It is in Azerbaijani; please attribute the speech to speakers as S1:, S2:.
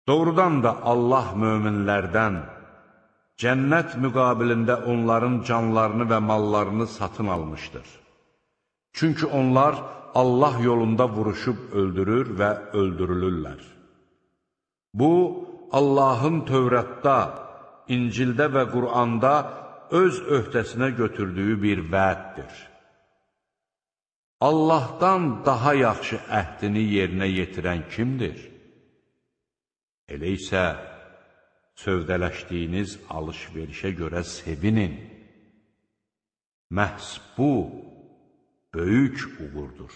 S1: Doğrudan da Allah möminlərdən cənnət müqabilində onların canlarını və mallarını satın almışdır. Çünki onlar Allah yolunda vuruşub öldürür və öldürülürlər. Bu, Allahın Tövratda, İncildə və Quranda öz öhdəsinə götürdüyü bir vəddir. Allahdan daha yaxşı əhdini yerinə yetirən kimdir? Elə isə sövdələşdiyiniz alış-verişə görə sevinin. Məhz bu, böyük uğurdur.